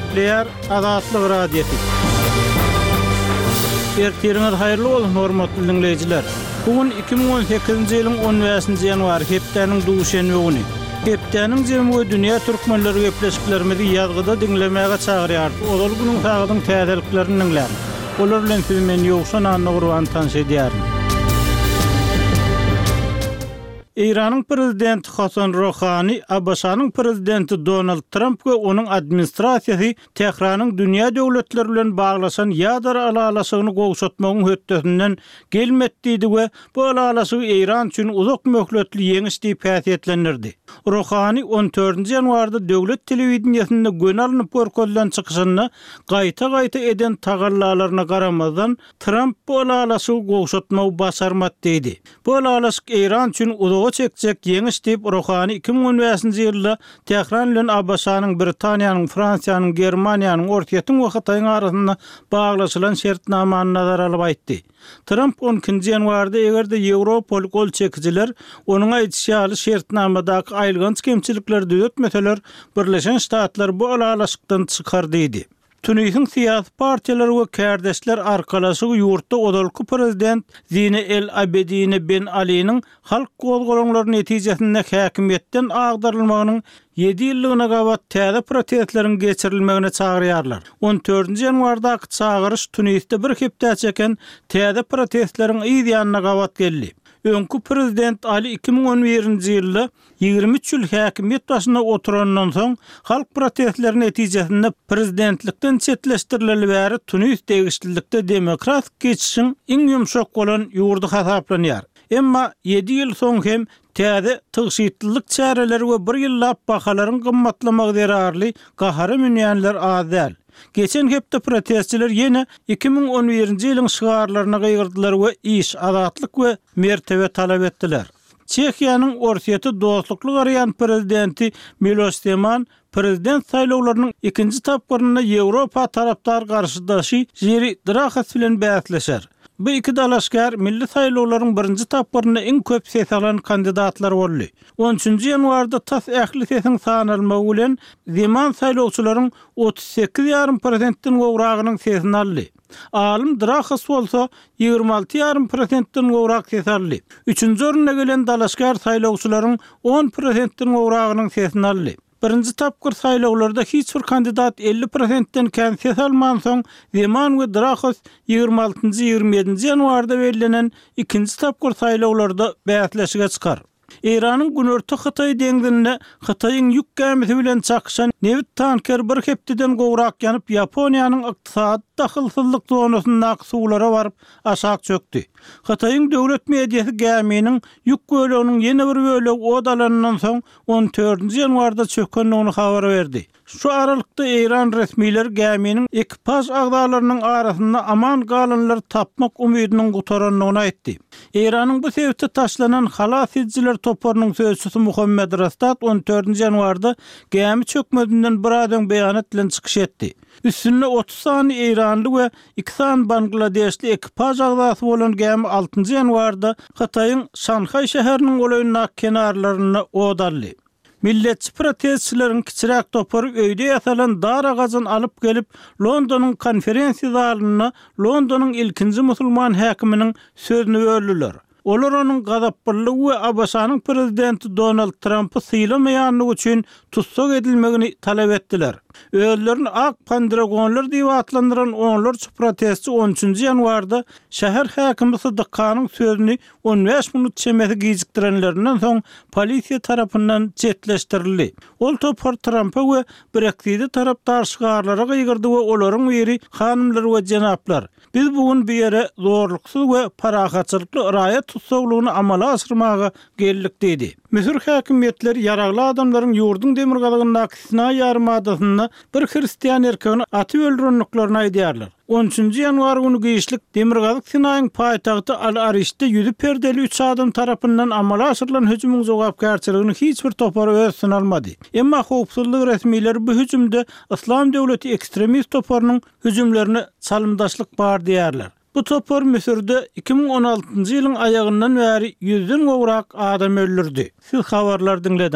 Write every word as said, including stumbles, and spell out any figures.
Gepleýär Azatlyk Radiosy. Ertiriňiz haýyrly bolsun, hormatly diňleýjiler. Bu gün iki müň on sekizinji ýylyň on bäşinji ýanwary, hepdäniň duşenbe güni. Hepdäniň jemi we dünýä türkmenleri gepleşiklerimizi ýazgyda diňlemäge çagyrýarys. Ozal günüň sagadyň täzeliklerini diňläň. Olar bilen sizi men Ýowşan Annagurban tanyş edýärin. Eýranyň prezidenti Hasan Rohani, ABŞ-nyň prezidenti Donald Tramp we onuň administrasiýasy Tähranyň dünýä döwletleri bilen baglaşan ýadro ylalaşygyny gowşatmagyň hötdesinden gelmedi diýdi we bu ylalaşygy Eýran üçin uzak möhletli ýeňiş diýip häsiýetlendirdi. Rohani on dördünji ýanwarda döwlet telewideniýesinde göni alnyp görkezilen çykyşynda gaýta-gaýta eden tagallalaryna garamazdan Tramp bu ylalaşygy gowşatmagy başarmady diýdi. Bu ylalaşyk Eýran üçin uzaga çekjek ýeňiş diýip Rohani iki müň on bäşinji ýylda Tähran bilen ABŞ-nyň, Britaniýanyň, Fransiýanyň, Germaniýanyň, Orsýetiň we Hytaýyň arasynda baglaşylan şertnamany nazara alyp aýtdy. Tramp on ikinji ýanwarda eger-de Ýewropaly gol çekijiler onuň aýdyşy ýaly şertnamadaky aýylganç kemçilikleri düzetmeseler, Birleşen Ştatlar bu ylalaşykdan çykar diýdi. Tunisiň syýasy partiýalary we kärdeşler arkalaşygy ýurtda ozalky prezident Zine El Abedine Ben Aliniň halk gozgalaňlary netijesinde häkimiýetden agdarylmagynyň ýedi ýyllygyna gabat täze protestleriň geçirilmegine çagyrýarlar. On dördünji ýanwardaky çagyryş Tunisde bir hepde çeken täze protestleriň yz ýanyna gabat geldi. Öňki prezident Ali iki müň on birinji ýylda ýigrimi üç ýyl häkimiýet başynda oturandan soň halk protestleri netijesinde prezidentlikden çetleşdirileli bäri Tunis degişlilikde demokratik geçişiň iň ýumşak bolan ýurdy hasaplanýar. Emma ýedi ýyl soň hem täze tygşytlylyk çäreleri we bir ýyllap bahalaryň gymmatlamagy zerarly gahara münýänler az däl. Geçen hepde protestçiler ýene iki müň on birinji ýylyň şygarlaryna gygyrdylar we iş, azatlyk we mertebe talap etdiler. Çehiýanyň Orsýeti dostlukly garaýan prezidenti Miloš Zeman prezident saýlawlarynyň ikinji tapgyrynda Ýewropa tarapdar garşydaşy Jiri Drahas bilen bäsleşer. Bu iki dalaşgär milli saýlawlaryň birinji tapgyrynda iň köp ses alan kandidatlar boldy. On üçünji ýanwarda tas ähli sesiň sanalmagy bilen Zeman saýlawçylaryň otuz sekiz ýarym prosentden gowragynyň sesini aldy. Alym Drahas bolsa ýigrimi alty ýarym prosentden gowrak ses aldy. Üçünji orunda gelen dalaşgär saýlawçylaryň on prosentden gowragynyň sesini aldy. Birinji tapgyr saýlawlarda hiç bir kandidat elli prosentden kän ses almansoň, Zeman we Drahos ýigrimi altynjy, ýigrimi ýedinji ýanwarda bellenen ikinji tapgyr saýlawlarda bäsleşige çykar. Eýranyň Günorta Hytaý deňzinde Hytaýyň ýük gämisi bilen çakyşan nebit tankeri bir hepdeden gowrak ýanyp, Ýaponiýanyň ykdysady dahylsyzlyk zonasyndaky suwlara baryp aşak çökdi. Hytaýyň döwlet mediasy gäminiň ýük böleginiň ýene bir bölegi od alanyndan soň on dördünji ýanwarda çökendigini habar berdi. Şu aralykda Eýran resmileri gäminiň ekipaž agzalarynyň arasynda aman galanlary tapmak umydynyň gutarandygyny aýtdy. Eýranyň bu sebitde taşlanan halas edijiler toparynyň sözçüsi Muhammed Rastat on dördünji ýanwarda gämi çökmezinden biraz öň beýanat bilen çykyş etdi. Üstünde otuz sany eýranly we iki sany bangladeşli ekipaž agzasy bolan gämi altynjy ýanwarda Hytaýyň Şanhaý şäheriniň golaýyndaky kenarlarynda od aldy. Milletçi protestçileriň kiçiräk topary öýde ýasalan dar agajyny alyp gelip, Londonyň konferensiýa zalynda Londonyň ilkinji musulman häkiminiň sözüni böldüler. Olar onuň gazaplylygy we ABŞ-nyň prezidenti Donald Trampy sylamaýanlygy üçin tussag edilmegini talap etdiler. Özlerini ak pandragonlar diýip atlandyran onlarça protestçi on üçünji ýanwarda şäher häkimi Sydyk Hanyň sözüni on bäş minut çemesi gijikdirenlerinden soň polisiýa tarapyndan çetleşdirildi. Ol topar Trampa we Brexite tarapdar şygarlara gygyrdy we olaryň biri hanymlar we jenaplar, biz bu gün bu ýere zorluksyz we parahatçylykly raýat tussaglygyny amala aşyrmaga geldik diýdi. Müsür häkimiýetleri ýaragly adamlaryň ýurduň demirgazygyndaky Sinaý ýarymadasynda bir hristian erkegini atyp öldürendiklerini aýdýarlar. On üçünji ýanwar güni giçlik Demirgazyk Sinaýyň paýtagty Al-Arişde ýüzi perdeli üç adam tarapyndan amala aşyrylan hüjümiň jogapkärçiligini hiç bir topar öz üstüne almady. Emma howpsuzlyk resmileri bu hüjümde Yslam döwleti ekstremist toparynyň hüjümlerine çalymdaşlyk bar diýýärler. Bu topar Müsürde iki müň on altynjy ýylyň aýagyndan bäri ýüzden gowrak adam öldürdi. Siz habarlar diňlediňiz.